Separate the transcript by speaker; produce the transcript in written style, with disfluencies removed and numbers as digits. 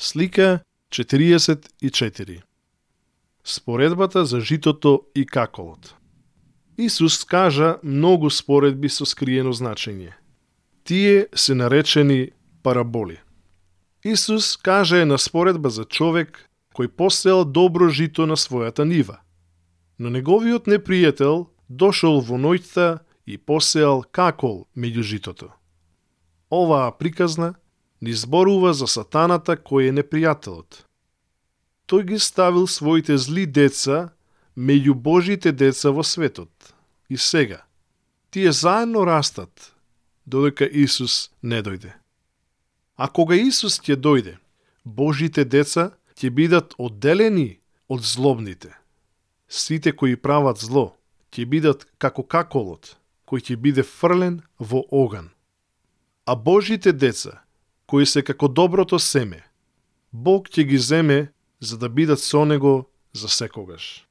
Speaker 1: Слика 44. Споредбата за житото и каколот. Исус кажа многу споредби со скриено значење. Тие се наречени параболи. Исус кажа една споредба за човек кој посеал добро жито на својата нива. Но неговиот непријател дошол во ноќта и посеал какол меѓу житото. Оваа приказна ни зборува за сатаната кој е непријателот. Тој ги ставил своите зли деца меѓу Божите деца во светот. И сега, тие заедно растат, додека Исус не дојде. А кога Исус ќе дојде, Божите деца ќе бидат одделени од злобните. Сите кои прават зло ќе бидат како каколот, кој ќе биде фрлен во оган. А Божите деца, кои се како доброто семе, Бог ќе ги земе за да бидат со Него за секогаш.